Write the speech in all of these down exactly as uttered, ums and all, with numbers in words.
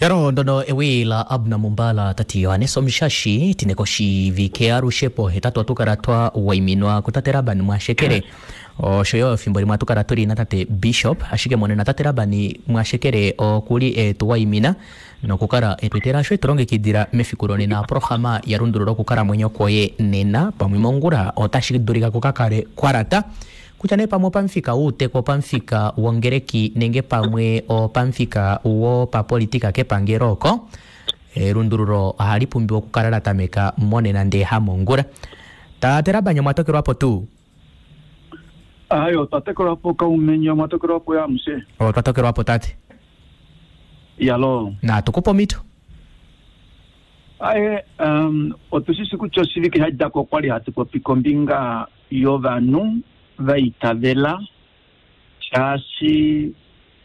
Yaro ndono ewi la Abna Mumbala tati Yohanes Omushashi tineko shivike alushe po hetatu atukala twa waiminwa kutate Laban Mwashekele osho yo efimbo limwe atukala tuli na tate Bishop ashike monena tate Laban Mwashekele okuli etuwaimina nokukala etwetela asho etulongekidila mefiku lonena programa ya lundulula okukalamwenyo kwoye nena pamwe mongula otashi dulika kukakale kwalata kutya nee pamwe opamufika wuuteku opamufika wongereki nenge pamwe opamufika wopapolitika kepangelo oko elundululo ohali pumbiwa okukala la tameka monena ndee hamongula. Tate Laban omwa tokelwapo tuu? Ayo, otwa tokelwapo kaumenye, omwa tokelwapo yamushe. Otwa tokelwapo tate. Yalo. Natukupa omito. Aye, um, otushishi kutya oshivike sha dja ko okwali hatu popi kombinga yovanhu va itavela shaashi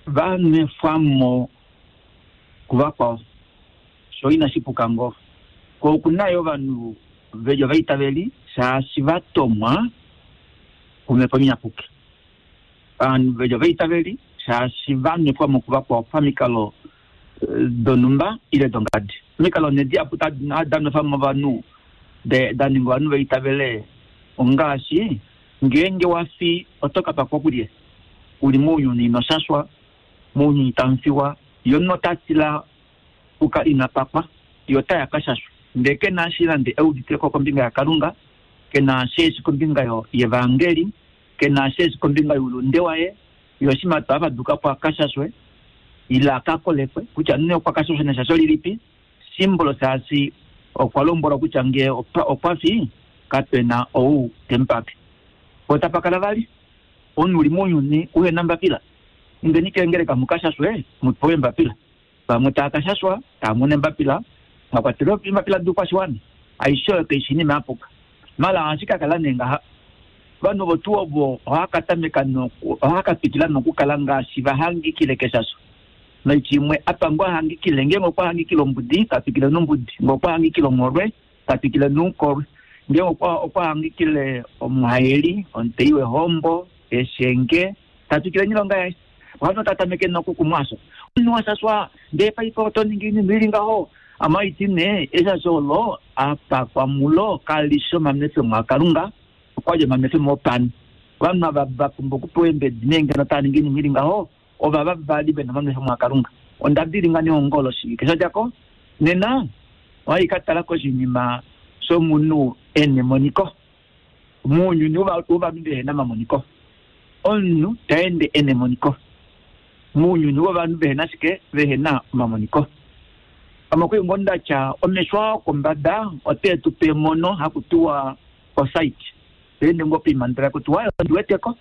va nwefwamo kuvakwao, sho inashi puka ngoo. Ko okuna yo ovanhu veli ovaitaveli shaashi va tomwa kumhepo inyapuki. Ovanhu veli ovaitaveli shaashi va nwefwamo kuvakwao pamikalo donhumba ile dongadi. Omikalo nee dihapu da nwefwamo ovanhu da ninga ovanhu vaitavele ongaashi ngeenge wafi oto ka pakwa kulye, uli mounyuni ino shashwa, mounyuni tamu fiwa, ye omunhu ota tila kuka ina pakwa, ye otaya ka shashwa. Ndee ke na eshi nande euditeko kombinga yaKalunga, ke na eshi eshi kombinga yevangeli, ke na eshi eshi kombinga youlunde waye, ye oshima to avaduka po aka shashwe, ile aka kolekwe, kutya nee okwa ka shashwe neshasho lilipi, simbolo shaashi okwa lombwelwa kutya ngee okwa fi, kapena ou temupake. Otapa kala vali omunhu uli mounyuni uhena mbapila, indeni keengeleka mukashashwe mupewe embapila, vamwe tava kashashwa tava mono embapila, mwa kwatelwa embapila doukwashiwana, aishe oyo kaishi inima yapuka. Mala ohashi ka kala nee ngaha, ovanhu ovo tuu ovo ohava ka tameka ohava ka twikila nokukala ngaashi vahangikile keshasho. Noiti imwe apa ngoo ahangikile, ngeenge okwa hangikile ombudi ta twikile nombudi, ngee okwa hangikile ongholwe ta twikile noukolwe, ngeenge okwa hangikile omuhaeli, omutei wehombo, eshenge, ta twikile noilonga yaye. Ovanhu otava tameke nokukumwasho. Omunhu washashwa ndee paife oto ningi oinima ili ngaho, amaiti nee eshasho olo apakwa mulo kali shi omamefemo aKalunga, okwali omamefemo opanhu. Ovanhu ava va pumbwa okupewa eembedi nee ngeno tava ningi oinima ili ngaho, ovava vali vena omamefemo aKalunga. Onda dilinga nehongo loshivike sha dja ko, nena ohai ka tala koshinima shomunhu ena emoniko. Mounyuni wovanhu vehena omamoniko, omunhu ta ende ena emoniko. Mounyuni wovanhu vehena shike? Vehena omamoniko. Pamwe ngoo ndatya omesho ao kombada ote tu pe emono haku tiwa osight. Ende ngoo poimandela kutiwa ondi weteko,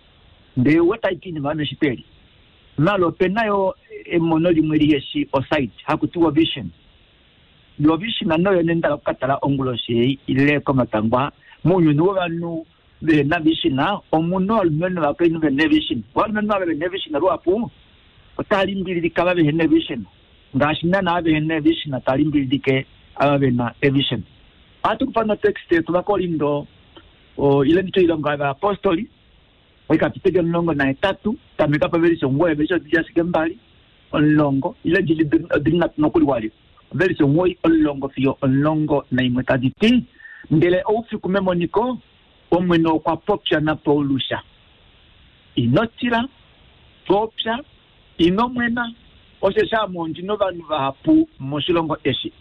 ndee weta ashike oinima yomeshito eli. Malo opena yo emono limwe liheshi osight haku tiwa vision. Yo vision noyo nenda okukatala onguloshi ei ile komatangwa. Mounyuni wovanhu vehena vision, omunhu ovalumenhu novakainhu vena vision. Ovalumenhu ava vena vision luhapu otava limbililike ava vehena vision, ngaashi naana vehena vision tava limbililike ava vena vision. Ohatu kufa notext yetu vaKorinto, ile nditye oilonga yovayapostoli, oikapiteli omulongo nahetatu, tameka pavelise omugoyi, ovelise odili ashike mbali, omulongo, ile odili nhatu nokuli walyo. Ovelise omugoyi, omulongo fiyo omulongo naimwe tadi ti, ndele oufiku memoniko, Omwene okwa popya naPaulus, ino tila, popya, ino mwena, osheshi ame ondi novanhu vahapu moshilongo eshi.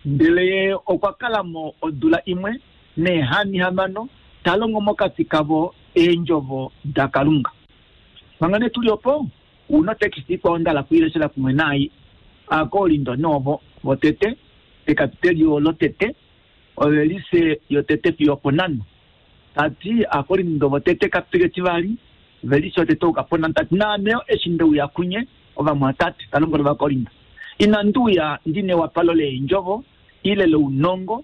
Ndele ye okwa kala mo odula imwe neehani hamano, ta longo mokati kavo eendjovo daKalunga. Manga nee tuli opo, una teksti ikwao nda hala kuileshela kumwe naai, Aakorinto noovo votete, pekapiteli lotete, ovelise yotete fiyo oponhano. Tati Aakorinto votete kapiteli etivali, ovelise yotete ouka ponhano, tati naame yo eshi ndeuya kunye ovamwatate, ta lombwele Ovakorinto, inandi uya ndi newapalo leendjovo ile lounongo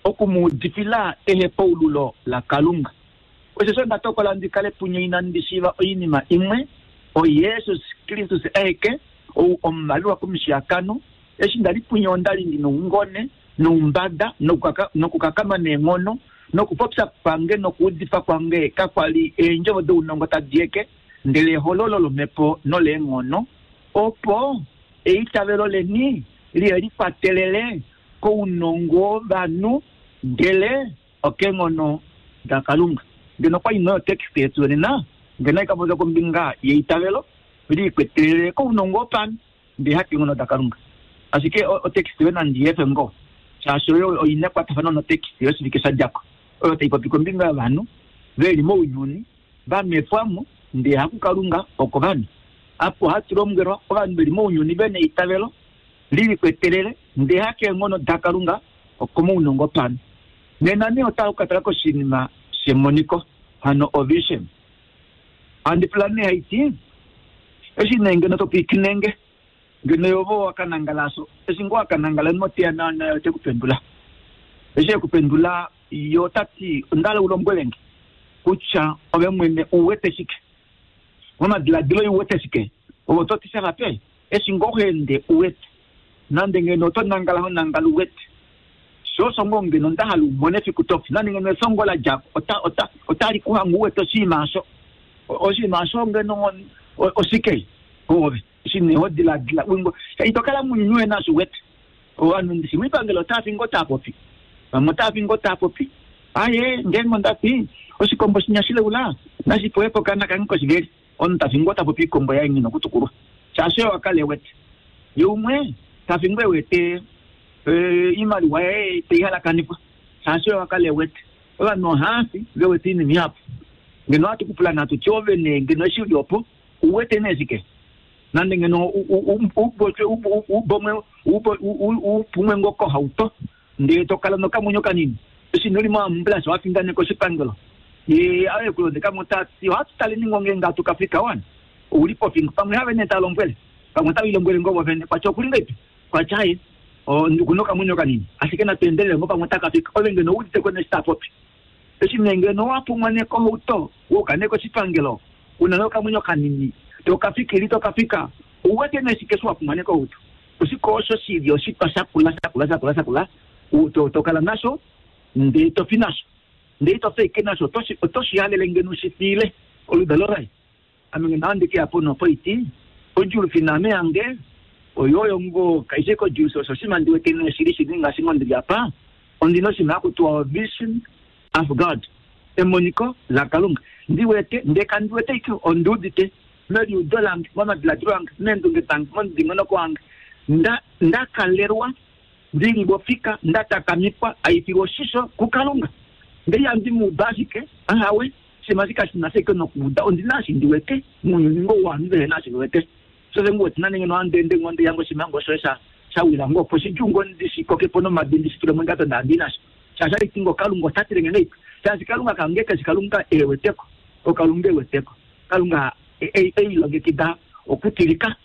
oku mu udifila ehepaululo laKalunga. Osheshi onda tokola ndi kale punye inandi shiiva oinima imwe, oJesus Kristus aeke, ou omuvalelwa komushiyakano. Eshi nda li punye onda li ndi noungone noumbada nokukakama neenghono, nokupopya kwange nokuudifa kwange kakwa li eendjovo dounongo tadi eke, ndele ehololo lomhepo noleenghono, opo Eitavelo leni lielikwatelele kounongo wovanhu ndele okeenghono daKalunga. Ngeno kwa ino text yetu nena ngeno ikapopya kombinga yeitavelo liikwatelele kounongo wopanhu ndele hakeenghono daKalunga. Ashike otext yo nandi yefe ngo shaashi oyo oina ekwatafano notext yoshivike sha djako oyo tai popi kombinga yovanhu veli mounyuni vanwefwamo ndele hakuKalunga okovanhu. Apo hatu lombwelwa ovanhu veli mounyuni vena eitavelo lilikwetelele ndele hakeenghono daKalunga okomounongo wopanhu. Nena nee otau ka tala koshinima shemoniko hano ovision. Handi pula nee haiti eshi nee ngeno topwiikinenge ngeno yovo wakanangala so eshi ngoo wakanangala moteya nayo tekupendula eshi ekupendula yo tati ondala ulombwelenge kutya ove mwene uwete shike momadiladilo uwete shike ove oto ti shavape eshi ngoo hoende uwete nande ngeno oto nangala ho nangala uwete shosho ngoo ngeno ndahala umone efiku tofi nande ngeno esongo la djako ota ota otali kuhanga uwete oshinima asho oshinima asho ngeno oshike ove shine ho diladila wingo itokala munyunywe nasho uwete ovanhu ndishi mwipangelo otaafi ngoo taapopi vamwe otaafi ngoo taapopi aye ngeenge ondafi oshikombo shinya shileula nashipewepo kana kange koshiveli omunhu tafi ngoo tapopi ikombo yaye ngina okutukulwa shaashi oyo wakala ewete ye umwe tafi ngoo ewete iimaliwa yaye teihalakanifwa shaashi oyo wakala ewete. Ovanhu ohaafi vewete oinima ihapu ngeno ohatu kupula natu ti ove nee ngeno eshi uli opo uwete nee shike nande ngeno ubomwe upumwe ngoo kohauto ndele tokala nokamwenyo kanini eshi noli moambulance wafindane koshipangelo ye aye kulondeka mo tati ohatu taleni ngoo ngeenge hatu kafika wana ouli pofingo pamwe have nee talombwele pamwe tavilombwele ngoo vovene kwatya okuli ngaipi kwatya aye okuna okamwenyo kanini ashike natuendelele ngoo pamwe takafika ove ngeno uudite ko neshi tapopi eshi nee ngeno wapumwa nee kohauto wouka nee koshipangelo una nokamwenyo kanini tokafikili tokafika uwete nee shike eshi wapumwa nee kohauto oshike osho shili oshitwa shakula shakula shakula shakula tokala nasho ndee tofi nasho ndee tofi ike nasho otoshi halele ngeno ushifile oludalo laye. Ame ngeno ohandi keya po nopoiti odjulufi naame yange oyo ngoo kaishe kodjulufi osho oshinima ndi wete nee shili shili ngaashi ngoo ndili apa ondina oshinima hakutiwa vision of God emoniko laKalunga ndi wete ndee kandi wete ike ondiudite meliudo lange momadiladilo ange meendunge dange momudingonoko wange nda ndakalelwa ndili bofika ndatakamikwa aifilwa oshisho kuKalunga ndee ihandi muuda ashike ahawe shima shika shina shike nokuuda ondina eshi ndi wete mounyuni ngoo wovanhu vehe na eshi vewete shose ngu wete nande ngeno handeende ngoo ndeya ngoo oshinima ngoo shoye shawila ngoo opo shidjuu ngoo ndishikokepo nomadi ndishitule mondjato ndandi nasho shaashi haiti ngoo Kalunga ota tile nge ngaipi shaashi Kalunga kange keshi Kalunga eweteko oKalunga eweteko Kalunga eilongekida okutilika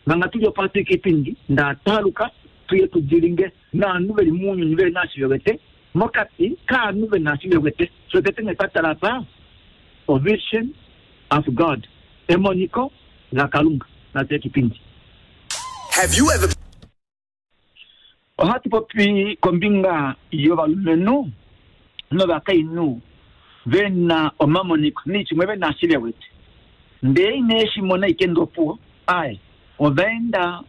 manga tuli opo hatuika ipindi ndataaluka tuye tudilinge naanhu veli mounyuni veli naashi vewete mokati kaanhu vena eshi vewete so tete nee twatala apa ovision of God emoniko laKalunga natuye kipindi. Have you ever Ohatu popi kombinga yovalumenhu novakainhu vena omamoniko nichimwe vena eshi vewete ndee ine shimona ike ndopuwo aye ovaenda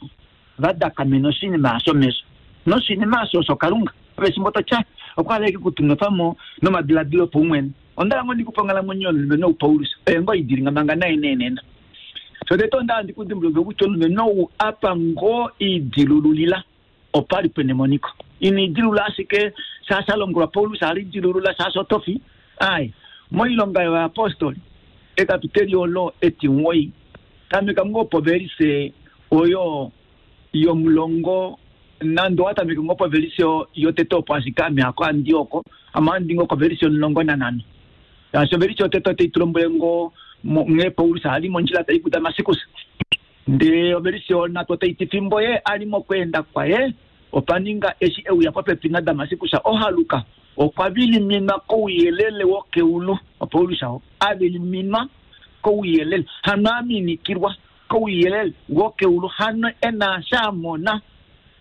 vadakamena oshinima asho mesho noshinima asho osho Kalunga oveshimbo totya okwa ike kutunwefamo nomadiladilo paumwene ondala ngoo ndikupa onghalamwenyo yomulumenhu ou Paulus oye ngoo idilinga manga naye neenena shotete onda ndikudimbuluke kutya omulumenhu ou apa ngoo idilululila opali pena emoniko ina idilula ashike shaashi alongolwa Paulus alidilulula shaashi otofi aye moilonga yovaapostoli ekapiteli olo etimuwoi tameka ngoo povelise oyo yomulongo nande owatameke ngoo povelise yotete opo ashike ame hako andi oko ame andi ngoo kovelise omulongo nanhano shaashi ovelise yotete otai tulombwele ngoo nghee Paulus ali mondjila tai kuDamaskus ndee ovelise yonhatu otai ti fimbo ye ali mokweenda kwaye opa ninga eshi euya popepi naDamaskus ohaluka okwa viliminwa kouyelele wokeulu Paulus oo aviliminwa kouyelele hano aminikilwa kouyelele wokeulu hano ena shamona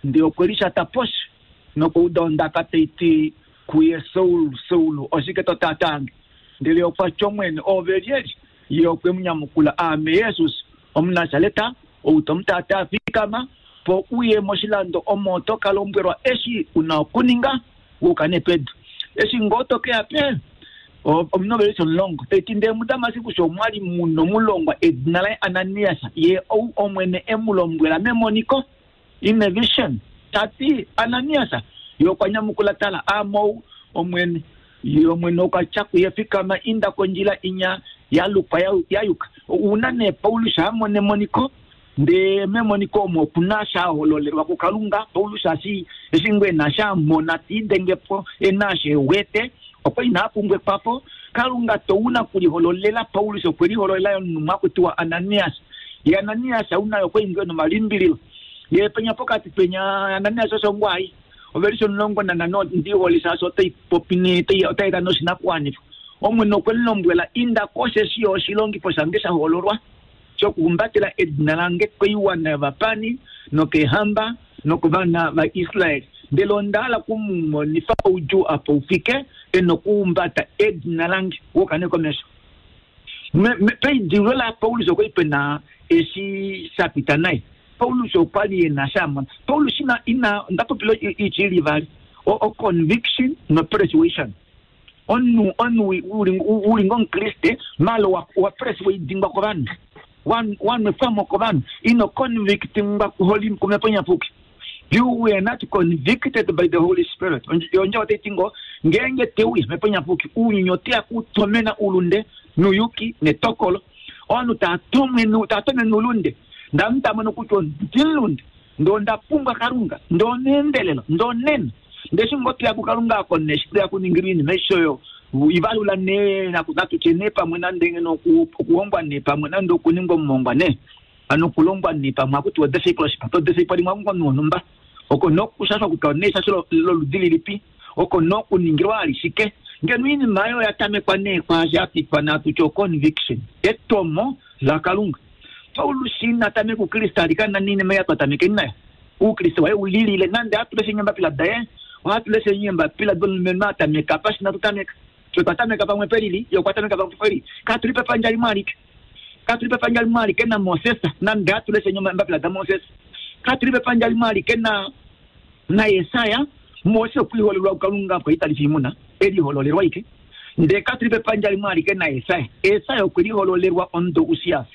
ndee okwe lishata poshi nokuuda ondaka taiti kuye Saul Saul oshike to tatange ndele okwa tya Omwene ove lyelye ye okwe mu nyamukula aame Jesus Omunasaleta ou tomutaata afikama po uye moshilando omo to ka lombwelwa eshi una okuninga wuka nepedu eshi ngoo to keya pe omunovelisi omulongo taiti ndee muDamasikus omwali muno mulongwa edina laye Ananias ye ou Omwene e mu lombwela memoniko in a vision tati Ananias ye okwa nyamukula tala amou Omwene ye Omwene okwa tya kuye fikama inda kondjila inya yalukwa yayuka una ne Paulus amone emoniko ndee memoniko omo okuna sha hololelwa kuKalunga Paulus ashi eshi ngwe ena sha mona tiidengepo ena she wete okwa ina pumbwa ekwafo Kalunga touna kulihololela Paulus okwe lihololela omunhu akutiwa Ananias ye Ananias una okwa ingwe nomalimbililo ye penya pokati penya Ananias osho ngwai ovelisho omulongo nanhano ndiholisa osho otai popi otai eta noshinakuwanifwa Omwene okwe lombwela inda kosheshi oshilongifo shange sha hololwa shokuhumbatela edina lange koiwana yovapani nokeehamba nokovana vaIsrael ndele onda hala kumumonifa oudjuu apa ufike enokuhumbata edina lange wokane komesho peidilo la Paulus okwa pena eshi sha pita naye Paulus okwa li ena sha mona Paulus ina ina ndapopila ichili vali o conviction no persuasion onu onu uli ngomukriste malo wa, wa persuadingwa kovanhu wanwefwamo kovanhu ino convictingwa kuholi kumhepo nyapuki you were not convicted by the Holy Spirit onje otaitingo ngenge teuya mhepo nyapuki uunyuni oteya kutomena ulunde nuyuki netokolo ovanhu taatomene ulunde ndamutamona kutya ondilunde ndo ndapumbwa Kalunga ndo neendelelo ndo nena ndeshi ngoteya kuKalunga ako neshi teya kuningirwa iinima aishe ivalula ne natutye ne pamwe nande ngeno okuhongwa ne pamwe nande okuningwa omuhongwa ne ano okulongwa ne pamwe akutiwa discipleship to discipling omunhu wonhumba oko nokushashwa kutya neishasho loludi lilipi oko nokuningilwa alishike ngeno iinima oyo yatamekwa nee kwaashi yapitwa natutye oconviction etomo laKalunga Paulus ina tameka ukriste alikana niinima yatwatamekeni nayo uukriste waye ulilile nande atuleshe eembapila daye ohatuleshe eembapila domulumenhu atameka apa shina tutameka twatameka pamwe pelili ye okwa tameka pamwe pelili katuli pepandja limwe alike katuli pepandja limwe alike na Moses nande atuleshe eembapila daMoses katuli pepandja limwe alike na na Yesaya Mose okwiholelwa kuKalunga kwaitalifa imuna elihololelwa ike ndee katuli pepandja limwe alike na Yesaya Yesaya okwelihololelwa ondo Usias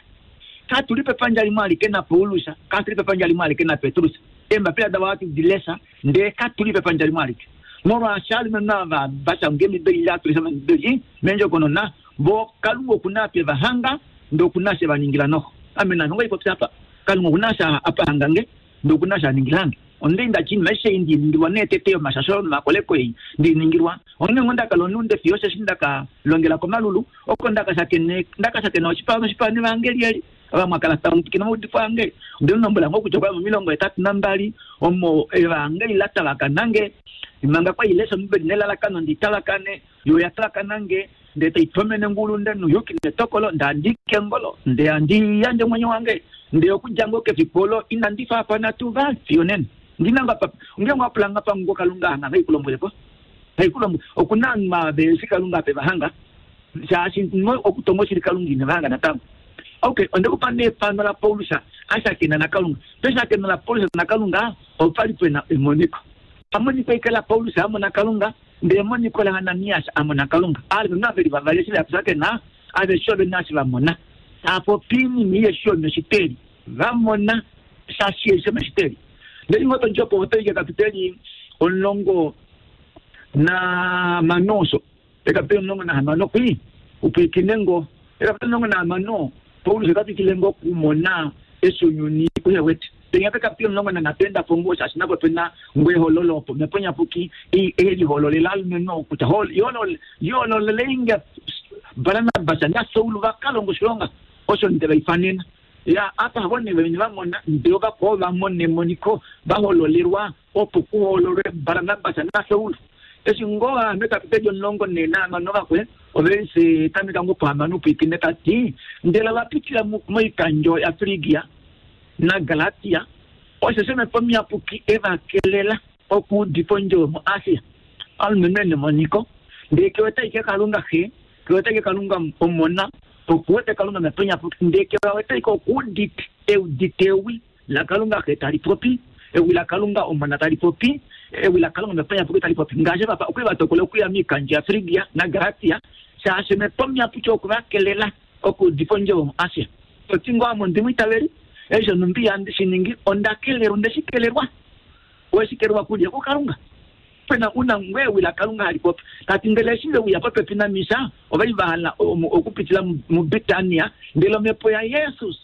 katuli pepandja limwe alike na Paulus katuli pepandja limwe alike na Petrus eembapila davo hatu dilesha ndee katuli pepandja limwe alike molwaashi alumenhu ava vashanga emibeli atulesha mibeli mendjokonona vo Kalunga okuna apa evahanga ndee okuna she vaningila noho ame nanu ngoipopya apa Kalunga okuna sha apa hangange ndee okuna sha aningilange onde ndachinima eshe ndiningilwa neetete yomashasho nomakoleko ei ndiningilwa onghee ngo ndakala onunde fiyo osheshi ndakalongela komalulu oko ndakashakene ndakashakena oshipa noshipa nevangeli eli vamwe akala tamutikina maudifo ange onde lombwela ngo kutya okwa momilongo hetatu nambali omo evangeli la tavakanange manga kwa ilesha omibeli nelalakano nditavakane yo yatavakanange ndee taitomene ngulunde nuyuki netokolo ndandike ngolo ndee andiyandje omwenyo wange ndee okudja ngo kefiku olo inandi faafana tuu vali fiyo nena ndinanga pa ngeenge wapulanga pango Kalunga hanga haikulombwelepo haikulombwe okuna maveshi Kalunga ape vahanga shaashi okutonga oshili Kalunga ine vahanga natango okay ondekupa neefano la Paulus ashakena naKalunga peshakena la Paulus naKalunga opali pena emoniko pamoniko ike la Paulus amona Kalunga ndee emoniko la Ananias amona Kalunga alumenhu aveli vavali eshi vashakena aveshe ove nashi vamona tapopi iinima iyeshe yomeshiteli vamona shashi yeshe yomeshiteli ndele ngoto ndjopo otoike kapiteli omulongo na manoso ekapiteli omulongo nahamano kwi upwikine ngo ekapiteli omulongo nahamano Paulus okatwikile ngo okumona eshi ounyuni uhewete penya pekapiteli omulongo nanhatu endapo ngo shaashi napo pena ngwehololo opo mhepo nyapuki elihololela alumenhu kutya yoololeleinge Barnabas naSaul vakalonga oshilonga osho nde vaifanena ya apa vone vene vamona ndee vakwao vamona emoniko vahololelwa opo kuhololwe Barnabas naSaul eshi ngoo ame kapiteli omulongo nenahamano vakwe ovese tameka ngo pohamano upwikine tati ndele vapitila moikandjo yaFrigia naGalatia osho mhepo muyapuki evakelela okuudifa ondjovo muAsia alumenhu ena emoniko ndee kewete aike Kalunga xe kewete aike Kalunga omona okuwete Kalunga mhepo nyapuki ndee kewete aike okuudite eudite ewi laKalunga Xe tali popi, ewi laKalunga Omona tali popi, ewi laKalunga Omhepo Iyapuki tali popi. Ngaashi papa okwe va tokola okuya miikandjo yaFrigia naGalatia, shaashi Omhepo Muyapuki okwe va kelela okuudifa ondjovo muAsia. Toti ngoo ame ondi mwiitaveli, eshi nhumbi ihandi shi ningi, onda kelelwa, onde shi kelelwa. Owe shi kelelwa kulye? KuKalunga. Pena una ngoo ewi laKalunga hali popi. Tati ndele eshi ve uya popepi naMisia, ova li va hala okupitila muBitania, ndele omhepo yaJesus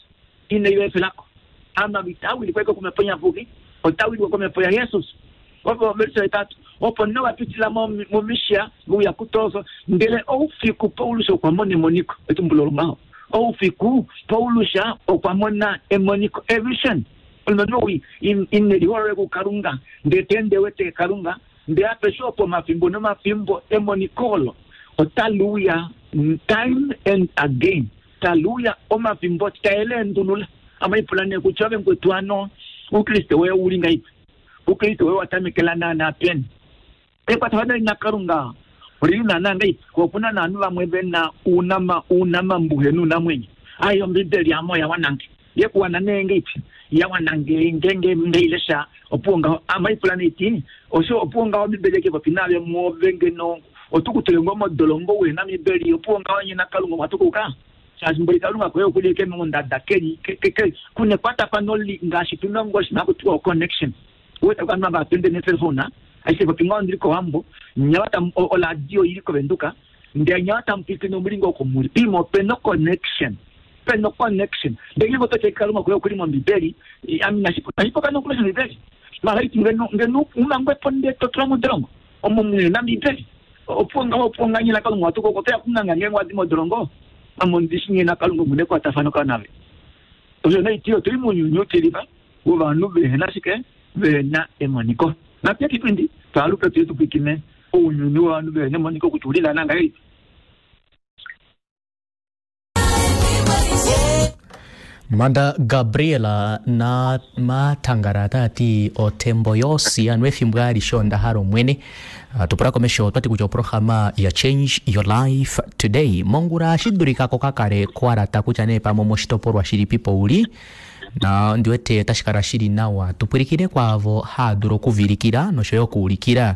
inai va efelako. Ame ita wilikwa ashike komhepo iyapuki, ota wilikwa komhepo yaJesus. Opo verse hetatu, opo nee va pitila muMisia, ve uya kuTroas, ndele oufiku Paulus okwa mona emoniko. Etumbulo longaho. Oufiku Paulus okwa mona emoniko, a vision. Omulumenhu ou ine liholole kuKalunga, ndele ta ende wete Kalunga, ndele apeshe opo omafimbo nomafimbo emoniko olo otali uya time and again, tali uya omafimbo tae leendulula. Ame ipula nee kutya ove mukwetu hano oukriste woye ouli ngahelipi? Oukriste woye owa tamekela naanaa peni? Ekwatafano li naKalunga olili naanaa ngahelipi? Ko opu na naanhu vamwe ve na ounama ounamambuhe nounamwenyo. Ai, Ombibeli ame oya wana nge. Ye ku wana nee ngahelipi? Ya wana nge ngeenge nde i lesha, opuwo ngaho. Ame ipula nee ti, osho opuwo ngaho Ombibeli eke popi naave mwoove ngeno otu ku tule ngoo modolongo uhe na Ombibeli, opuwo ngaho nye naKalunga omwa tukuka? Shaashi mboli Kalunga koye oku li eke mondada ke ke ke ku nekwatafano li ngaashi tu na ngoo oshinima haku tiwa o-connection. Uwete ovanhu ava hatu ende neeselfona, aishe popi ngaho ondili kOwambo, nyawa tamu oladio oili kOvenduka, ndele nyawa tamu pwilikine omuli ngoo oko muli. Pimo ope na o-connection. Pe na o-connection. Ndele ngeenge oto ti Kalunga koye okuli mOmbibeli, ame inashi inashi puka nokulesha Ombibeli. Mara iti ngeno ngeno u mangwe po ndele to tulwa modolongo omo muhe na Ombibeli. Opuwo ngaho opuwo ngaho nye naKalunga watu koko otoya kunganga ngeenge wa di modolongo. Ame ondi shi nghee naKalunga omu na ekwatafano ka nave. Osho nee iti otuli mounyuni utilifa wovanhu vehe na shike? Vehe na emoniko. Natu ye kipindi twaaluke tuye tu pwilikine ounyuni wovanhu vehe na emoniko kutya ouli naana ngahelipi. Manda Gabriela na Matangara ota ti otembo yosi anu efimbo alishe onda hala Omwene. Ah, tupula komesho otwati kutya oprograma ya Change Your Life Today mongula shi dulika ko kakale kwalata kutya nee pamwe moshitopolwa shilipipo uli na ndi wete otashi kala shili nawa tupwilikine kwaavo haa dulu okuvilikila noshoyo okuulikila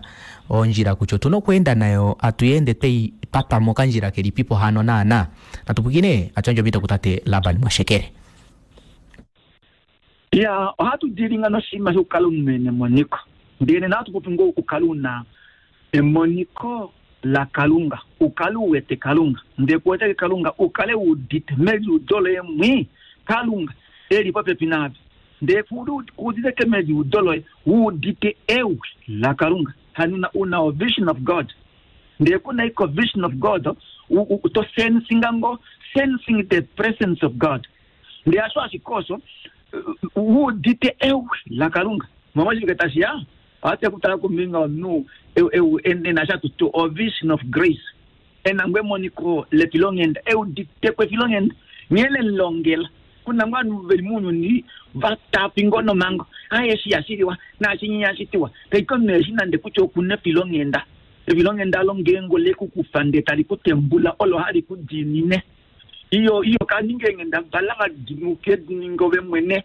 ondjila kutya otuna okweenda nayo atuyeende twei patwa mokandjila kelipipo hano naana. Natupwilikine atuyandje omhito kutate Laban Mwashekele. Ya, ohatu dilinga noshinima shokukala omunhu e na emoniko. Ndele nena ohatu popi ngoo okukala u na emoniko laKalunga, u kale u wete Kalunga. Ndele ku weteke Kalunga, u kale u udite meliudo loye mwi Kalunga e li popepi naave. Ndele ku udite ke meliudo loye, u udite ewi laKalunga. Hano u na o-vision of God. Ndele ku na iko vision of God, u, u, to sensinga ngo, sensing the presence of God. Ndele asho ashike osho, u udite ewi laKalunga. Momo shike tashi ya? Ohatu kutala kombinga yomunhu e na sha tutu o vision of grace. E na ngoo emoniko lefilonghenda, e udite ko efilonghenda, nghee le lilongela. Kuna ngoo ovanhu veli mounyuni va tapi ngoo nomhango, ai eshi ihashi liwa, naashi ihashi tiwa. Taiki omunhu eshi nande kutya oku na efilonghenda. Efilonghenda olo ngeenge ole ku kufa ndele tali ku tembula, olo hali ku diinine. Iyo, iyo ka ninga eenghendabala va dimuke ninga ove mwene.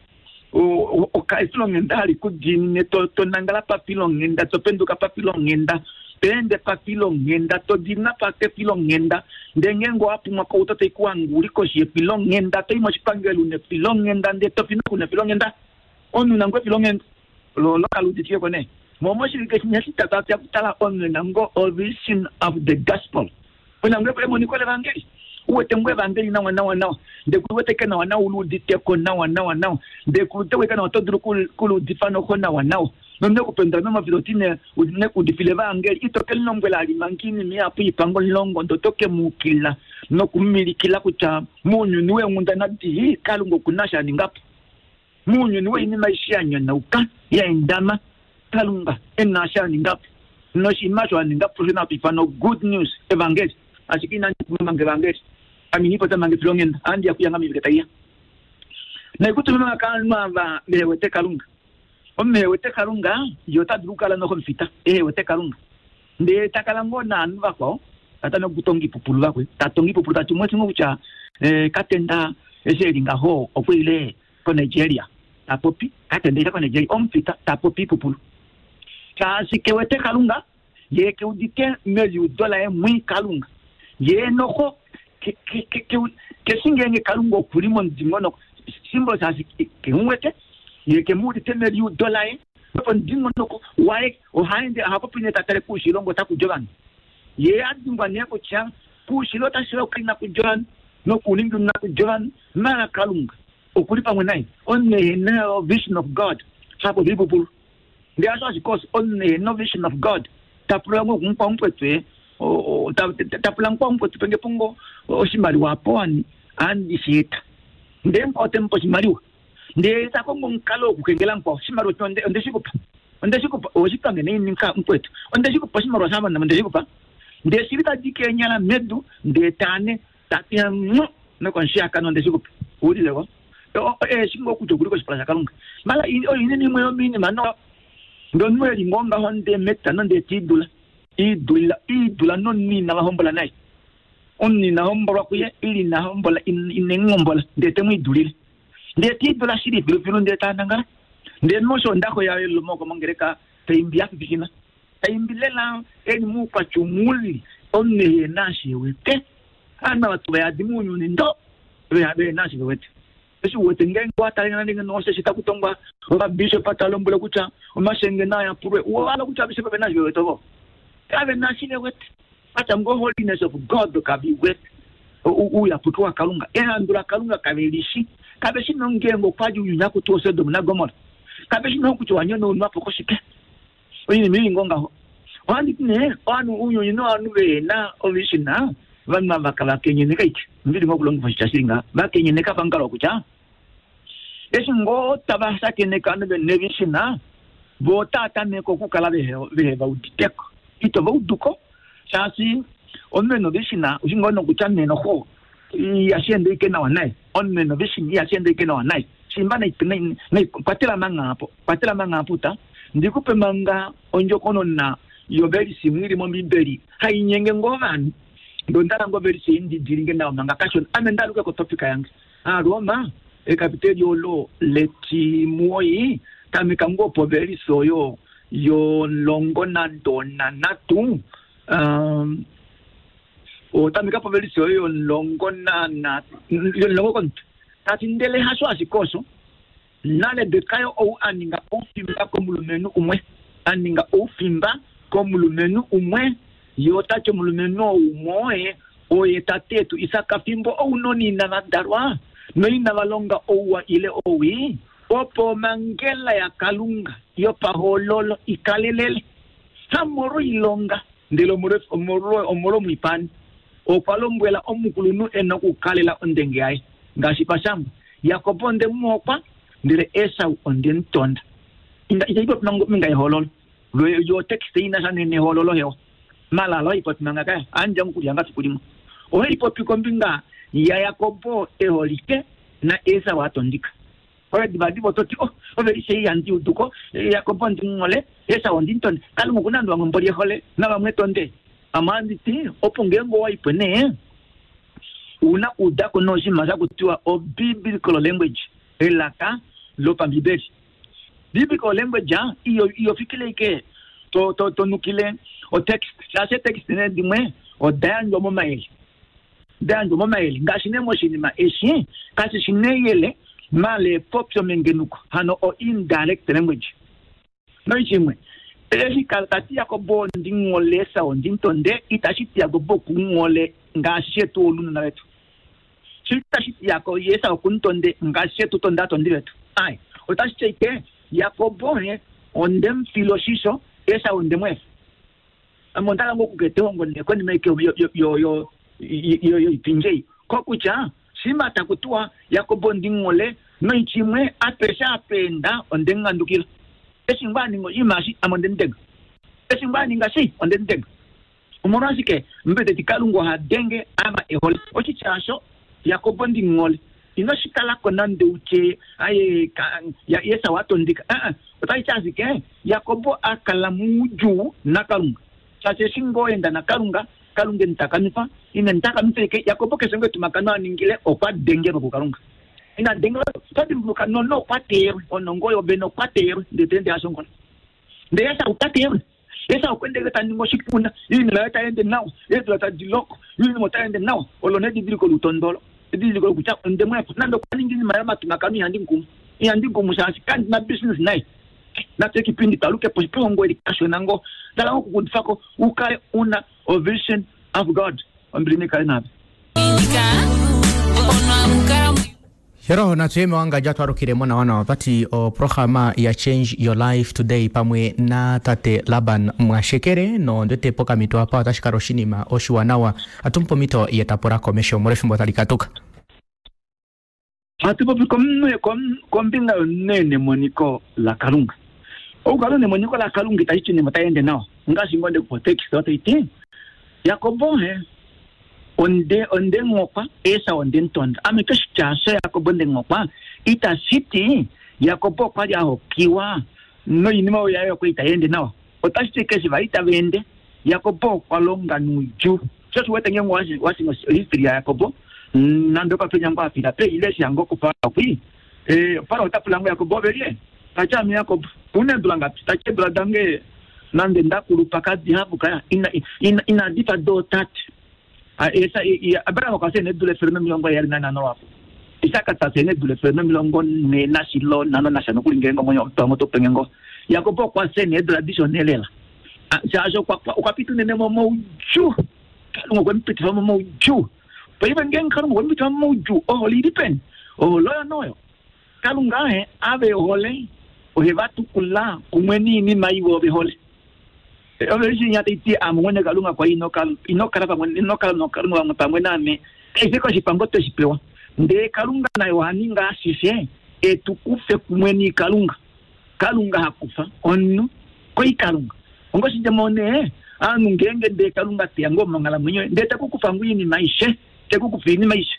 Efilonghenda hali ku diinine, to, to nangala pafilonghenda, to penduka pafilonghenda, to ende pafilonghenda, to diinina pafilonghenda. Ndele ngeenge owa pumwa kouto tai ku hange uli koshi yefilonghenda, to i moshipangelo una efilonghenda, ndele to fi noku una efilonghenda. Omunhu una ngoo efilonghenda lo, lo kali uditike ko nee. Momo oshivike shinya shitatu atu ya kutala omunhu ena ngoo o vision of the gospel. Una ngoo emoniko levangeli. U wete ngoo evangeli nawa nawa nawa, ndele ku wete ke nawa nawa, u liudite ko nawa nawa nawa, ndele ku wete ke nawa oto dulu ku liudifa noho nawa nawa. Nomunhu ekupendula momafilo oti ne, ne ku udifile evangeli, ito ke lilombwela ali manga oinima ihapu ipango omulongo, ndele oto ke mu ukilila nokumilikila kutya mounyuni weenghundana dii Kalunga oku na sha a ninga po. Mounyuni woinima aishe ya nyonauka, ya endama, Kalunga e na sha a ninga po. Noshinima osho a ninga po osho hatu ifana good news, evangeli. Ashike inandi pumwa manga evangeli. Ame inandi popya manga efilonghenda, ohandi ya kuya ngoo moivike tai ya. Naikutu manga ovanhu ava vehe wete Kalunga. Omunhu ehe wete Kalunga, ye ota dulu okukala noho omufita, ehe wete Kalunga. Ndele ta kala ngoo naanhu vakwao, ta tameke okutonga oipupulu vakwe. Ta tonga oipupulu ta ti umwe ngoo kutya, eh, Katenda eshi e li ngaho okwe ile koNigeria. tapopi katendeirakonejei omufita tapopi ipupulu shaashi kewete kalunga ye keudite meliudo laye mwi kalunga ye noho keshingenge kalunga okuli momudingonoko simbolo shaashi kemuwete ye kemuudite meliudo laye omudingonoko waye ohaende ohapopi nee tatale kuushilongo otaku ovanhu ye adimbwa nee kutya kuushilo otashi okali nakuja ovanhu nokuuningi nakuja ovanhu mala kalunga okuli pamwe naye omunhu ehena vision of God hapopi ipupulu ndele asho ashike omunhu ehena vision of God tapula ngo kumukwa mupwetwe tapula mukwa mupwetwe penge pongo oshimaliwa apo ani andishieta ndee mukwa otemupa oshimaliwa ndee takongo omukalo wokukengela mukwao oshimaliwa ondeshikupa ondeshikupa oshipange neini mukwetu ondeshikupa oshimaliwa shamana ondeshikupa ndee shili tadi kenyala medu ndee tane tatiya mu nokonshiyakano ondeshikupa uulileko eshingo okutya okuli koshipala shakalunga mala oyo inene imwe yomiinima no ndomunhu eli ngoo ngaho ndee metano ndee tiidula iidula iidula nomunhu ina vahombola naye omunhu ina hombolwa kuye ili ina hombola inengombola ndee temwiidulile ndee tiidula shili filufilu ndee tanangala ndee nosho ondako yayo lomoko mongereka taimbi yafifikina taimbi lela eli muukwatya muli omunhu ehena ashewete ana vatu vayadi muunyuni ndo vehena ashewete eshi uwete ngeenge watalengana nenge nosheshi takutongwa ovabishop talombwele kutya omashenge naayapulwe ovala kutya abishop vena ashivewete ovo kavena ashivewete atya ngo holiness of God kaviwete uuyapuki wakalunga ehandu lakalunga kavelishi kaveshi nongeenge okwali unyuni akuti osodom nagomora kaveshi nokutya wanyonaunwapo koshike oinima ili ngo ngaho ohanditi nee ovanhu ounyuni novanhu vehena ovishina vanhu ava vakenyeneka ike ndili ngo okulongifa oshitya shili ngaha vakenyeneka pamukalo wokutya eshi ngoo tava shakeneka ovanhu venevishina vo otava tameke okukala vehe vauditeko ito vauduko shaashi omunhu ena ovishina oshi ngoo nokutya nenoho ihashiende ike nawa naye omunhu ena ovishina ihashiende ike nawa naye shimba kwatela mangaapo kwatela mangaapo ta ndikupe manga ondjokonona yovelisi imwe ili mombibeli hainyenge ngoo ovanhu ndondala ngo velisi indidilinge nawa manga kashona ame ndaluke kotopika yange aroma ekapiteli olo letimuoi tameka ngoo povelisi oyo yolongo nandona natu um, otameka povelisi oyo yolongo nana yolongo kontu tati ndele hasho ashike osho narebeka ou aninga oufimba komulumenhu umwe aninga oufimba komulumenhu umwe ye otati omulumenhu ou oye oye tatetu Isaka fimbo ounona inava dalwa noinava longa ouwa ile owii opo omangela yakalunga yopahololo ikalelele hamolwoilonga ndele omolwomwipani okwa lombwela omukulunhu ena okukalela ondenge yaye ngaashi pashangwa Jakob onde muhokwa ndele Esau onde mutonda itaipopi minga ehololo yo tekste ina sha nehololo hewa malala oipopi manga kaya anja mukulyanga fiku limwe ohaipopi kombinga yaYakobo eholike na Esau atondika oyo divadiva ototi oh ovelishe iyandi uduko Yakobo ndingole Esau ondintonde kalunga okuna andu vamwe mboli ehole navamwe tonde amanditi opo ngeenge owaipwe nee una udako noshinima shakutiwa o biblical language elaka lopambibeli biblical language iyo iyofikile ike to to tonukile o text shaashi etext nee dimwe odayandjwa momayele dayandjwa momayele ngaashi nee moshinima eshi kashi shi neyele mala epopyo mengenuko hano o indirect language noishimwe eshi tati Jakobo ndingole Esau ndintonde itashi ti Jakobo kungole ngaashi shetu olunona vetu shitashi ti Jakobo Esau kuntonde ngaashi shetu tonde atondi vetu ai otashi ti ike Jakobo he ondemufila oshisho Esau ondemwefa ame ondala ngoo okuketa ehongo nekonima ike yoipindjei kokutya shima takutiwa Jakobo ndingole noitshimwe apeshe apenda ondengangandukila eshi ngoo aninga oshinima eshi ame ondemutega eshi ngoo aninga shi ondemutega omolwashike mbeteti kalunga oha denge ava ehole oshitya asho Jakobo ndingole ino shikalako nande utye aye Esau atondika aa otashi ti ashike Jakobo akala muudjuu nakalunga shaashi eshi ngoo enda nakalunga kalunga emutakamifa ine mutakamifa ike Jakobo keshe ngoo etumakano aningile okwa dengelwa kukalunga Ina denga tadimbuluka nono okwa teyelwe onongo yovene okwa teyelwe ndele ende ashongola ndele Esau ta teyelwe Esau kwendele ta ningi oshipuna iinima yaye tayi nawa eedula tadi loko iinima otayi ende nawa olo nedidiliko lutondolo edidiliko kutya ondemwepo nande okwa ningi iinima yomatumakano ihandi nkumu ihandi nkumu shaashi kandi na business naye natye kipindi talukepo shipehongo eli kashona ngo tala okukudifako ukale una a vision of God ombili nikale nave Hero natuyeme wanga twarukiremo na wana wapati o programa ya Change Your Life Today pamwe na tate Laban Mwashekere no ndete poka mito apa otashikala oshinima oshiwanawa atumpo mito yetapula komesho molwefimbo tali katuka hatu popi kombinga yonene moniko la Kalunga okukala nemoniko la Kalunga itashi ti nima tayi ende nawa ngaashi ngo ndekupotekisa otaiti Yakobo he onde onde ngokwa Esau onde ntonda ame keshitya sha Yakobo nde ngokwa itashiti Yakobo okwali a hokiwa noinima oyo yayo okwa itayi ende nawa otashi ti keshi vali tava ende Yakobo okwa longa nuudjuu sho shi wete ngenge washinga history ya Yakobo nande okapenya ngo afila pe ile shango kuFarao kwi eh Farao ota pula ngo Yakobo ovelie tati ame Yakobo una eedula ngapi tati eedula dange nande ndakulupa kadihapu kaya ina ina inadifa do tati esa Abraham okwa sene eedula efele nomilongo heyali nanhano lwapo Isaka ta sene eedula efele nomilongo nhee nashilo nhano nasha nokuli ngenge omwenyo omutu topenge ngo Yakobo okwa sene eedula dishona lela shaashi okwa pita unene momaudjuu Kalunga okwe mupitifa momaudjuu paife ngenge Kalunga okwe mupitifa momaudjuu ohole ili peni ohole oyo noyo Kalunga he ave ohole ohe vatukula kumwe niinima iwe ove hole ove shinya taiti ame mwene Kalunga kwa inokala inokala pamwe inokala nokalunga pamwe naame keshe koshipango tweshi pewa ndee Kalunga naye ohaninga ashishe etukufe kumwe niikalunga Kalunga hakufa omunhu koikalunga ongoshidjemo nee aanhu ngenge ndee Kalunga teya ngoo monghalamwenyo ndee tekukufa ngo iinima aishe tekukufa iinima aishe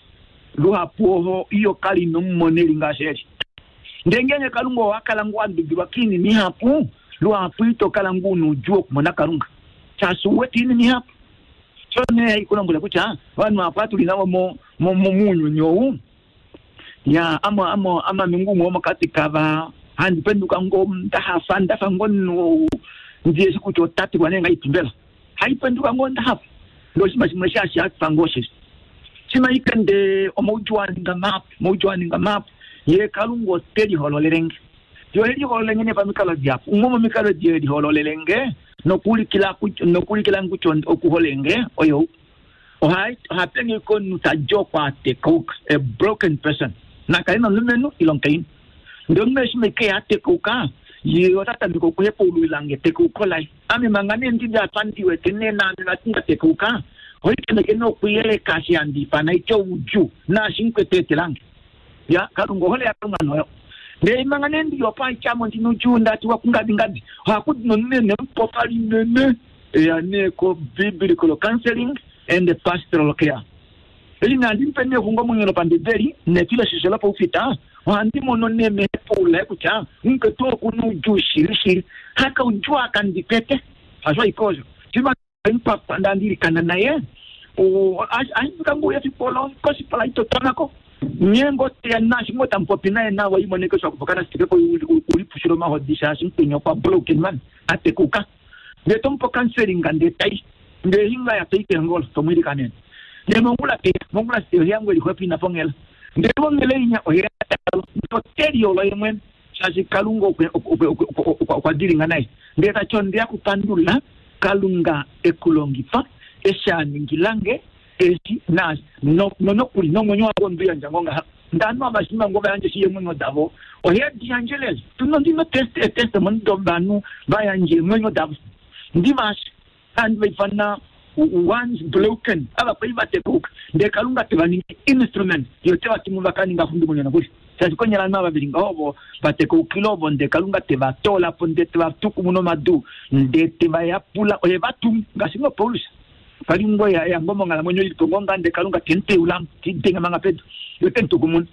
luhapu oho iyo kali inomumoneli ngaashi eli ndee ngenge Kalunga owakala ngo wandubilwa kiinima ihapu luhapu itokala ngo una oudjuu wokumona Kalunga shaashi uwete iinima ihapu so nee haikulombwela kutya ovanhu hapu atuli navo mounyuni ou ya amo amo amame ngumwe womokati kava handi penduka ngo ndahafa ndafa ngo omunhu ndiyeshi kutya otati kwane ngaipimbela haipenduka ngo ndahafa ndo oshinima shimwe shashi hafa ngo sheshe shima ikende omaudjuu aninga mahapu omaudjuu aninga mahapu ye Kalunga ote lihololelenge yo elihololenge ne pamikalo dihapu umwe momikalo die lihololelenge nokuulikila nokuulikila kutya okuholenge oyo ohapenge komunhu tadi okwatekauka a broken person nakale nomulumenhu ile omukainhu ndee omunhu eshi meke atekauka ye ota tameke okuhepaululilange etekauko laye ame manga nee ndili apa ndiwete nee naame vati ndatekauka oitameke nokuyeleka eshi handi ifana itya oudjuu naashi nkweteetelange ya Kalunga ohole yaKalunga noyo ndee manga nee ndili opo aityamo ndina oudjuu ndatiwa kungadingadi ohakudi nomunhu nemupopa linene eya nee ko biblical counseling and pastoral care eshi nandi mupe nee exungomwenyo lopambibeli nefiloshisho lopaufita ohandi mono nee mehepaula kutya mukwetu okuna oudjuu shili shili haka oudjuu akandipete hasho aike osho shima mpapa ndandilikana naye ashifika ngouya fipolo kosipala itotonako nyengo teya nashi ngo tamupopi naye nawa imoneke swakupokana sitikeko ulipushila omahodi shaashi mukwenye okwa broken man atekuka ndee tomupa counseling ndee tai ndee hinga ya tai kengolo tomwilikanene ndee mongula teya mongula site oheyangu elixwepo ina pongela ndee pongela inya oheyatalo ndoteliolo ye mwene shaashi Kalunga okwa dilinga naye ndee tati ondeya kupandula Kalunga ekulongifa eshi aningilange eshi naashi nonokuli nomwenyo wange onduyandja ngo ngaha ndano avashima ngo vayandje shi eemwenyo davo ohediyandje lela tuno ndino testimony dovanhu vayandje eemwenyo davo ndivashi andi vaifana once broken ava kwali vatekauka ndee Kalunga tevaningi instrument yo tevatumu vakaninga xundumwenyo nokuli shaashi konyala ovanhu ava veli ngaho ovo vatekaukile ovo ndee Kalunga tevatolapo ndee tevatukumuna omadu ndee tevayapula oye vatumu ngaashi ngo Paulus pali ngo yango monghalamwenyo ilipo ngo nga ndee Kalunga temuteulamo tidenga manga pedu yo temutukumuna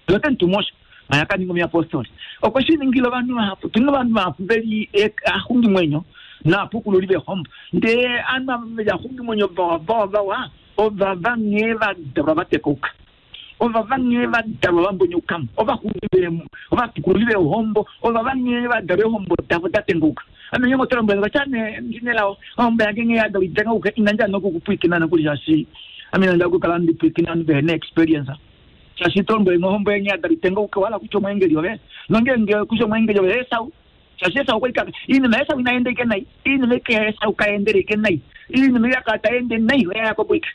yo temutumosho maya kaninga omuyapostoli okwe shi ningile ovanhu vahapu tuna ovanhu vahapu veli axungimwenyo naapukululi vehombo ndee ovanhu ava veli axungimwenyo vawa vawa vawa ovava nghee vadalwa vatekauka Ovava nghee va dalwa va mbonyokamo, ovaxungi ovatukululi veehombo, ovava nghee va dalwa eehombo davo da tengauka. Ame nghee ngotolombwela vatya nee ndinelao ohombo yange nghee ya dalwa itengauka inandja nokukupwiikina nokuli shaashi ame inanda okukala ndipwiikina ovanhu vehe na experience. Shaashi tolombwele ohombo yange ya dalwa itengauka wala kutya omweengeli ove nongeenge kutya omweengeli ove Esau. Shaashi Esau okwa ika iinima Esau inaenda ike nai, iinima ike Esau kaendele ike nai, iinima yakala taende nai oya Yakobo ike.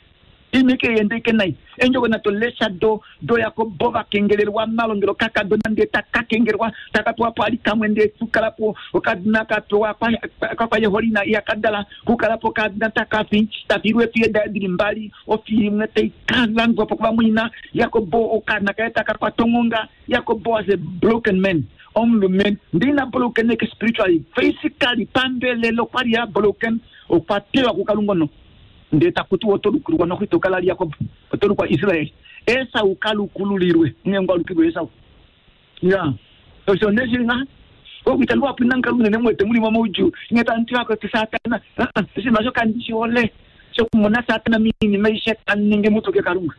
Iinima ike yende ike nai. Endjovo nato lesha do do Yakobo vakengelelwa malongelo kakadona ndee takakengelwa takapewa po ali kamwe ndee tukala po okadona kapewa kakwayeholina yakadala kukala po kadona takafi tafilwe efiye daye dili mbali ofi imwe taikalandwa po kuvamwina. Yakobo okana kaye takakwata onghonga. Yakobo was a broken man, omulumenhu ndina broken eke spiritually physically pambelelo kwali ya broken okwa tewa kukalunga no ndee takuti otolukulwa nokhitokala Yakobo otolukwa Israel. Esau kalukululilwe nghengwa alukilwe Esau ya osho neshilinga okuitalwa punankalunga nemwete mulimo mauju ngetantiwako ti satana oshinima shoka ndishihole shokumona satana miinima ishe taningi mutuke kalunga.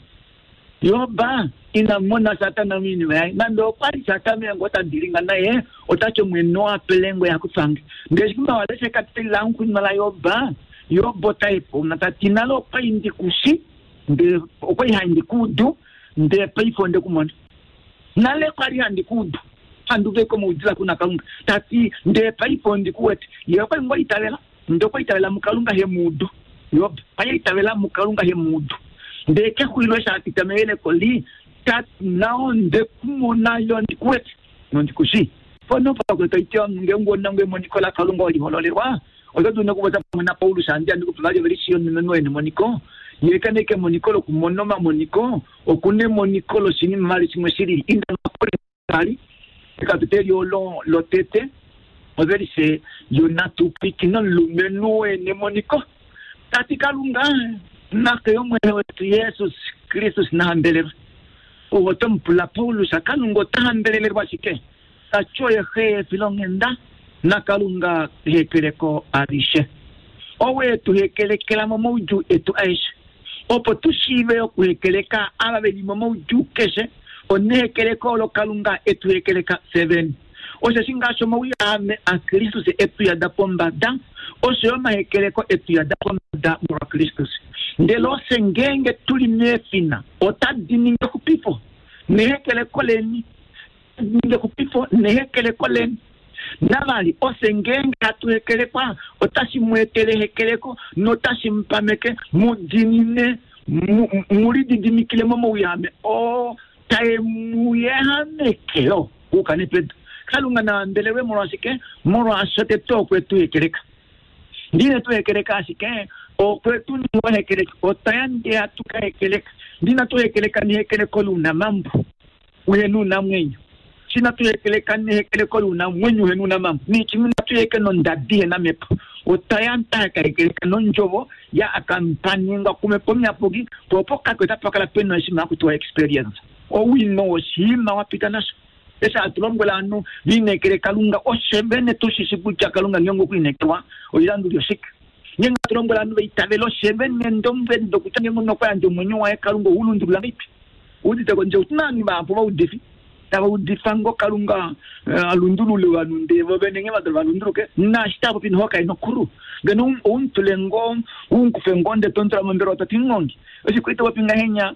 Yoba inamona satana miinima yaye nande okwali satana yangu otandilinga naye otati omwene wapelengo yakufange ndeshikuma waleshe katila nkunima la Yoba. Yobo taipo natati nalo okwali ndikushi nde okwali handikudu nde paife ondekumona nale kwali handikudu handuveko moudila kuna kalunga tati nde paife ondikuwete ye okwali ngo itavela nde okwa itavela mukalunga hemudu. Yob kwali itavela mukalunga hemudu nde kexulilo eshi apita meyeleko li tati nao ndekumona yo ndikuwete nondikushi pono pakwetaitya ngeenge onango emoniko la kalunga olihololelwa oto dulu nokupopya pamwe naPaulus andi andikupula vali ovelishi yomulumenhu enemoniko ye kaneke emoniko lokumona omamoniko okuna emoniko loshinima vali shimwe shilili. Inda vali ekapiteli olo lotete ovelishe yonatupwikina omulumenhu enemoniko tati kalunga nake yomwene wetu Jesus Kristus nahambelelwe. Owo tomupula Paulus kalunga ota hambelelelwa shike? Tati oye xe efilonghenda nakalunga hekeleko alishe owe tu hekelekela momaudjuu etu aeshe opo tu shiive okuhekeleka ava veli momaudjuu keshe onehekeleko olo kalunga etu hekeleka fye Osheshi ngaashi omauyahame aKristus etu yada pombada osho yo omahekeleko etu yada pombada molwa Kristus. Ndele ofye ngeenge tuli meefina otadi ningi exupifo nehekeleko leni ningi exupifo nehekeleko leni. Navali ofye ngeenge hatu hekelekwa otashi mu etele ehekeleko notashi mu pameke mu dinine mu lididimikile momauyahame oo tae mu yehamekelo kuukane pedu. Kalunga nahambelelwe molwashike? Molwaasho tete okwe tu hekeleka. Ndine tu hekeleka ashike okwe tu ninga hekeleka otayande hatu ka hekeleka ndina tu hekeleka nehekeleko luunamambo uhena uunamwenyo shina tu hekeleka nehekeleko luunamwenyo uhena uunamambo nichimwe natu heke nondadi hena mepo otayanta ka hekeleka nondjovo ya akampaningwa kumepo myapuki popo kakwe tapakala pena oshinima hakutiwa experience owino woshinima wapita nasho. Eshi hatu lombwela ovanhu viinekele kalunga oshe vene tushishi kutya kalunga ngeenge okwiinekelwa oilanduli oshike. Ngeenge hatu lombwela ovanhu vaitavele oshe vene ndomveni dokutya ngeenge omunhu okwa yandja omwenyo waye kalunga oulundulula ngaipi udite kondje otuna ovanhu vahapu vaudifi tava udifa ngo kalunga alundulule ovanhu ndee vo vene nghee vadula valunduluke naashi tava popi noho kaena okulu ngeno oumutule ngo unkufe ngo ndee tomutula mombelewa toti ngongi oshikwali topopi ngahenya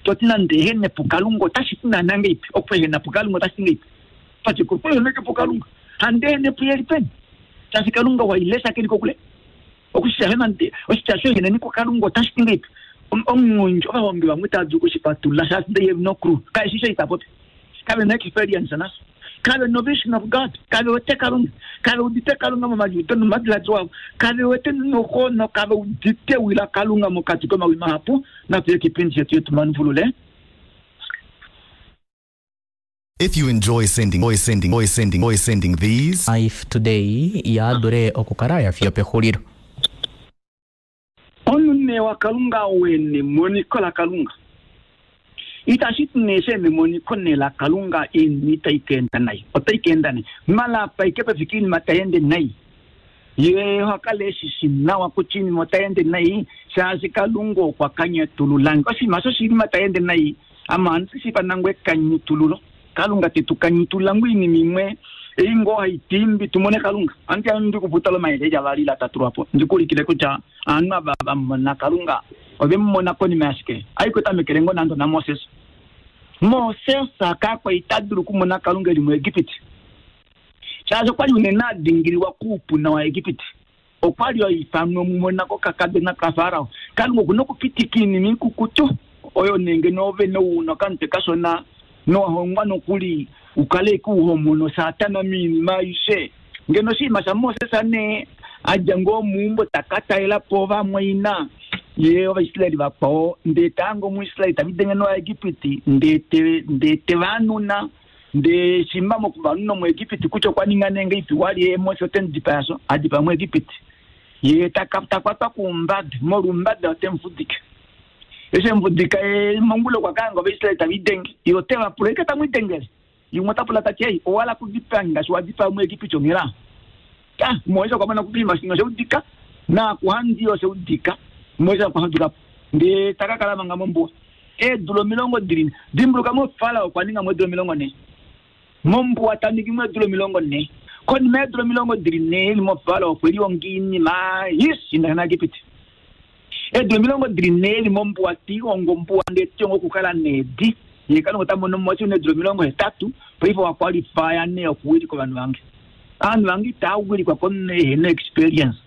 toti nande ehene pukalunga otashi ti naana ngeipi okuehena pukalunga otashi ti ngeipi pachikueheneke pukalunga hande ehene puyeli peni shaashi kalunga wailesha keli kokule okushisha nande oshitya shoeheneni kukalunga otashi ti ngeipi omungundji ovahongi vamwe tava dulu okushipatulula shaashi they have no clue kaishi sho itapopi kave na experience nasho kave no vision of God kave wete kalunga kave udite kalunga momaliudo nomadiladilo avo kave wete noho nokave udite wila kalunga mokati komawi mahapu. Natuye kipindi shetu yetumanuvulule. If you enjoy sending, voice sending, voice sending, voice sending these Life Today yaadule okukala ya fiyo pexulilo. Omune wa kalunga wene moniko la kalunga itashi ti nee she memoniko ne la kalunga iinima itayi ka enda nayi otayi ka enda nayi malapa ike pefika iinima tayi ende nayi ye ohakala eshishi nawa kutya iinima otayi ende nayi shaashi kalunga okwa kanyatululange oshinima sho oshinima tayi ende nayi Ama ansi panangwe kanyitululo. Kalunga tetu kanyitula ngwini mimwe. Ingo haitimbi tumone kalunga. Anti andu kuputalo maeleja vali la tatu hapo. Ndikulikile kucha anu baba mona kalunga. Obe mona koni maske. Aiko tamekelengo nando na Moses. Moses akakwa itadulu kumona kalunga li mu Egypt. Chazo kwali unena dingiriwa kupu na wa Egypt. Okwali oifamwe mumona ko kakade na kafarao. Kalunga kunokupitikini mikukutu. Oyo nenge nove no uno kante kasona no hongwa nokuli ukale kuhomono satana mini maishe. Ngeno si masa Moses ane ajango mumbo takata ela pova mwaina. Ye Ovaisraeli vakwao ndetango muIsraeli tavidenge no Egipiti ndete ndete vanuna nde simba mokuvanuna mu Egipiti kucho kwaninga nenge ipi wali ye Mose otendipaso adipa mu Egipiti. Ye takakwatwa kumbada morumbada otemfudika. Ese mfudika e mongulo kwa kango Ovaisraeli tavidenge yote vapuleka tamwitengele. Yumwe tapula tachei owala kudipanga swadipa mu Egipiti ongira. Ka Mose kwa mana kupima singa seudika na kuhandio seudika. Moja kwa haduka ndi takakala manga mombo e dulo milongo dirini dimbuluka mo fala kwa ninga mo dulo milongo ne mombo ataniki mo dulo milongo ne koni me dulo milongo dirini ni mo fala kwa liyo ngini ma yes ina na gipiti e dulo milongo dirini ni mombo ati ongombo ande tiongo kukala nedi yekano ngota mo ne dulo milongo etatu paipo wa qualify ne okuwili kwa bantu bange anu bangi tawili kwa konne ne experience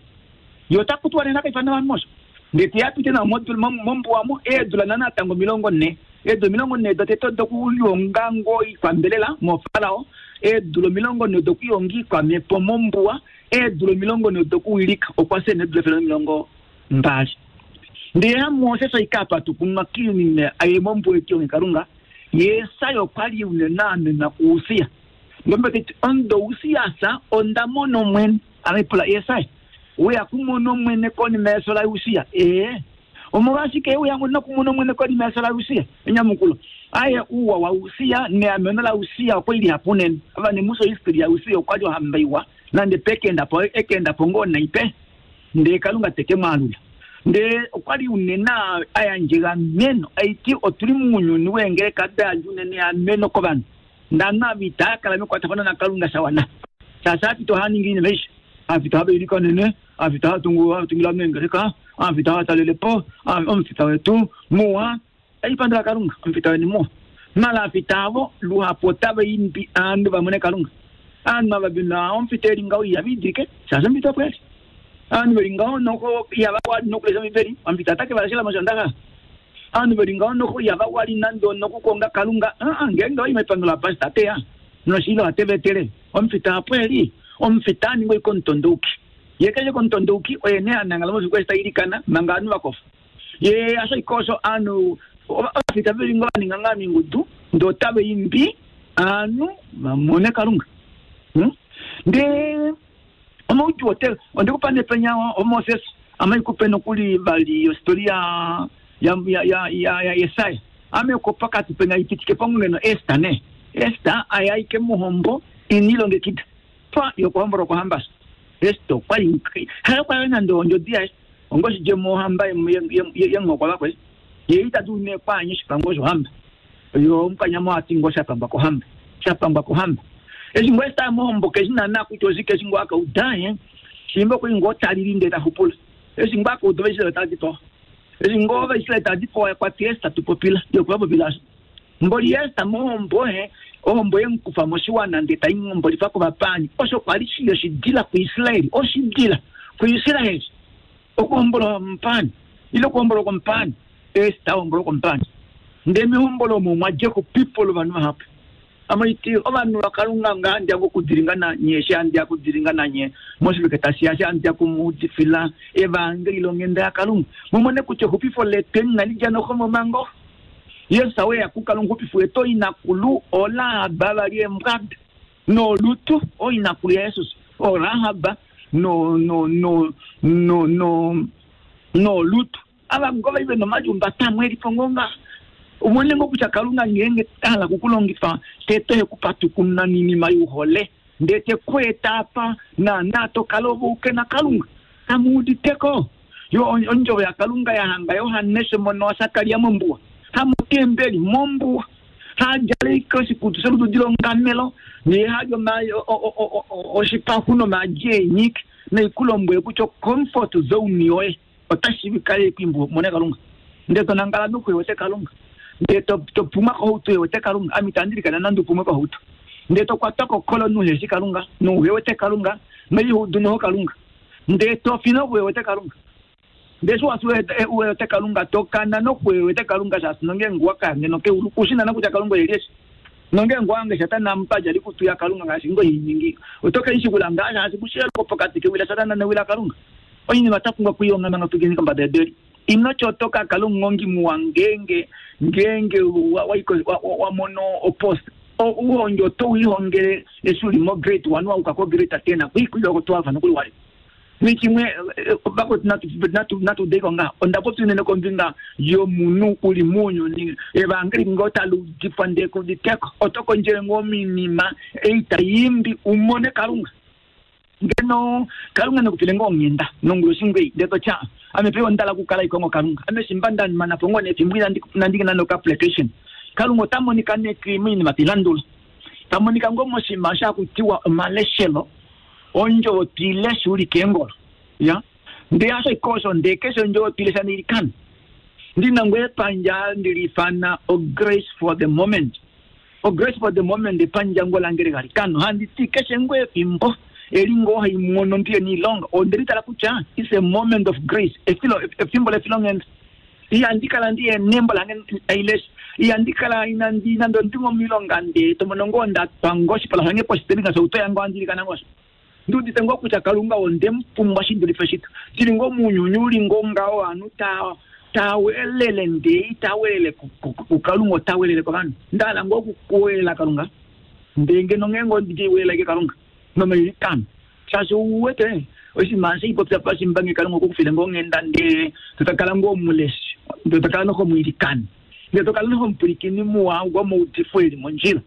yotakutwa ne nakaifana bantu ndeti yapite na modul mombo wamo edula nana tango milongo ne edo milongo ne doteto dokuyonga ngoi kwambelela mo farao edulo milongo ne dokuyongi kwa mepo mombuwa edulo milongo ne dokuwilika okwase ne edulo milongo mbali ndiye Moses ikapa tukunwa kini aye mombo ekyo nkarunga yesayo kwali unenane na kuusia ngombe titi ondo usia sa onda mono mwen amepula yesai uya kumono mwene koni meso la usia eh omorashike uya ngona kumono mwene koni meso la usia enyamukulo aye uwa wa usia ne amena la usia kweli hapunen aba ne muso history ya usia kwali hambaiwa nande pekenda po ekenda pongona ipe nde kalunga teke malula nde kwali unena aya njega meno aiti otuli munyuni wengere kada unene ameno kobana ndana vitaka la mikwatafana na kalunga sawana sasa titohani ngine meisha afita habe nene afita tungu tungila mengereka afita talelepo omfita wetu moa aipandra kalunga omfita weni moa mala afitavo luhapota imbi andu vamone kalunga andu mavabina omfita elinga yabidike sasa mfita kweli andu belinga noko yaba nokulesa miberi omfita take balashela mashandaka andu belinga noko yaba wali nando nokukonga kalunga ah ngenga imepangula pasta tea noshilo atevetele omfita kweli omfitani ngoi kontonduki yekeje kontonduki oyene anangala mo sikwesta irikana manganu bakofa ye aso ikoso anu afita belingo ninganga mingudu ndotabe imbi anu mamone kalunga hmm? Nde omutu hotel ondikupande penya o Moses amaikupe nokuli bali historia ya ya ya ya, ya Yesaya amekopaka tupenya ipitike pangeno Esther ne Esther ayaike muhombo inilongekita pa yokuhambura kuhamba esto kwali hara kwa nando njodia ongosi je mohamba yengokwa bakwe yeita dune kwanye shipango hamba yo mkanyama ati ngosha pamba kuhamba chapamba kuhamba ezi ngwesta mohombo kezina na kutozike zingwaka udaye simbo kuingotalilinde tahupula ezi ngwaka udovesela tadito ezi ngova isla tadito kwa testa tupopila yokwabopila mboli esta mohombo he ohombo yenkufa moshiwana ndeta ingombo lifako bapani osho kwali shiyo shidila ku Israeli oshidila ku Israeli okuhombolo mpani ilo kuhombolo kompani esta hombolo kompani ndemi hombolo mu mwaje ku people banu hapa amaiti abantu bakalunga ngandi akudiringana nye shandi akudiringana nye mosiluketa siya andi akumudifila evangeli longenda yakalunga mumone kuche hupifo leten nalijano homo mango Yesu awe akukalunga hupifu eto inakulu ola ababa mkad no lutu o inakulu ya Yesus o rahaba no no no no no no lutu aba ngoba ibe no majumba tamwe lipongonga umone ngokucha kalunga ngenge tala kukulongifa tete kupatu nini mayuhole ndete kwetapa na nato kalobuke na kalunga amudi teko yo onjo ya kalunga ya hanga Yohanes mono asakalia mumbua hamu motembeli mombuwa hadjala oshikutu sholududi longamelo nehadja oshipaxu nomaadi eenyiki naikulombwele kutya comfort zone yoye otashi kale kwimbo mone kalunga ndee tonangala nokuwete kalunga ndee topumwa kohauto yewete kalunga ame itandi nande upumwe kohauto ndee tokwatwa kokolo nuheshi kalunga nouhewete kalunga noihudu noho kalunga ndee tofi nokuwewete kalunga ndee shi wasi uwewete kalunga tokana nokuwewete kalunga shaashi nongeenge wakayange nokeulu kushinana kutya kalunga oyeli eshi nongeenge wange shatana mupadja likutu ya kalunga ngaashi ngoiningi otokeishikula ngaa shaashi kusheloko pokati kewila satana newila kalunga oinima tapumbwa kuionga manga tukeni kombada yedu eli ino chotoka kalunga ngongi muwa ngenge ngenge wamono opost uhonge oto wihongele eshi uli mo grade one wauka ko grade ten kuikulilako twelve nokuli wali nichimwe vakoti natudeko nga ondapopi unene kombinga yomunhu uli muunyuni evangeli ngo taludifwa ndee kuditeko oto kondjele ngoo minima ei taimbi umone kalunga ngeno kalunga nekupile ngoo onghenda nonguloshi ngei ndee totya ame pe ondala kukala ikongo kalunga ame shimba ndamana po ngoo nefimbo inandingi noka application kalunga ota monika neki moinima tilandula tamonika ngoo moshinima shakutiwa omaleshelo ondjovo tuilesha uli keengolo ya ndee asho ikosho ndee keshe ondjovo tuilesha niilikana ndina ngoo epandja ndilifana o grace for the moment o grace for the moment epandja ngoo lange legalikano handi ti keshe ngoo efimbo eli ngoo haimono ndiye niilonga ondelitala kutya is a moment of grace efilo efimbo lefilonghenda ihandikala ndiye nembo lange ailesha ihandikala inandi nande ondingo milonga ndee tomono ngoo ndatwa ngoo oshipala shange poshitelinga shouto yange wandilikana ngosho ndiudite ngoo kutya kalunga ondemupumbwa shidulife shito tili ngoo muunyuni uli ngoo ngaho ovanhu ta tawelele ndee itawelele kukalunga otawelele kovanhu ndahala ngoo okukuwelela kalunga ndee ngeno ngeenge ondiwelelake kalunga nomailikano shaashi uwete oshinima sheipopya pashimbange kalunga okukufile ngoo onghenda ndee totakala ngoo omuleshi ndee tokala nohomwiilikani ndee tokala nohomupulikini muwa womaudifo eli mondjila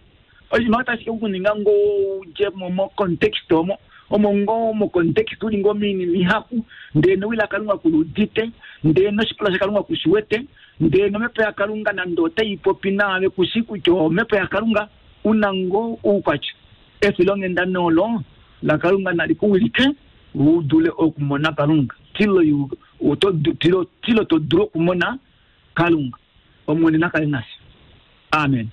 oshinima otashi kukuninga ngoo udje mo mocontext omo omo ngoo mocontext uli ngoo minima ihapu ndee nowila kalunga kuludite ndee noshipala shakalunga kushiwete ndee nomhepo yakalunga nande otaipopi naave kushi kutya omhepo yakalunga una ngoo oukwatya efilonghenda nolo lakalunga nali kuwilike udule okumona kalunga tilo tilo tilo todulu okumona kalunga omwene nakale nasi amen.